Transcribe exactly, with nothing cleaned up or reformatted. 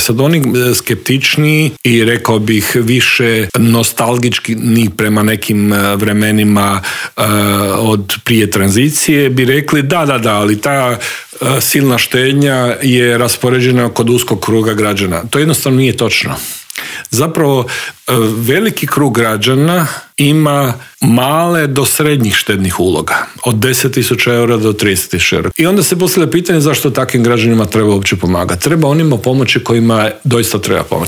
sad oni skeptičniji i rekao bih više nostalgički ni prema nekim vremenima uh, od prije tranzicije bi rekli da, da, da, ali ta uh, silna štednja je raspoređena kod uskog kruga građana. To jednostavno nije točno. Zapravo veliki krug građana ima male do srednjih štednih uloga, od deset tisuća eura do trideset tisuća eura. I onda se postavlja pitanje zašto takvim građanima treba uopće pomagati. Treba onima pomoći kojima doista treba pomoći.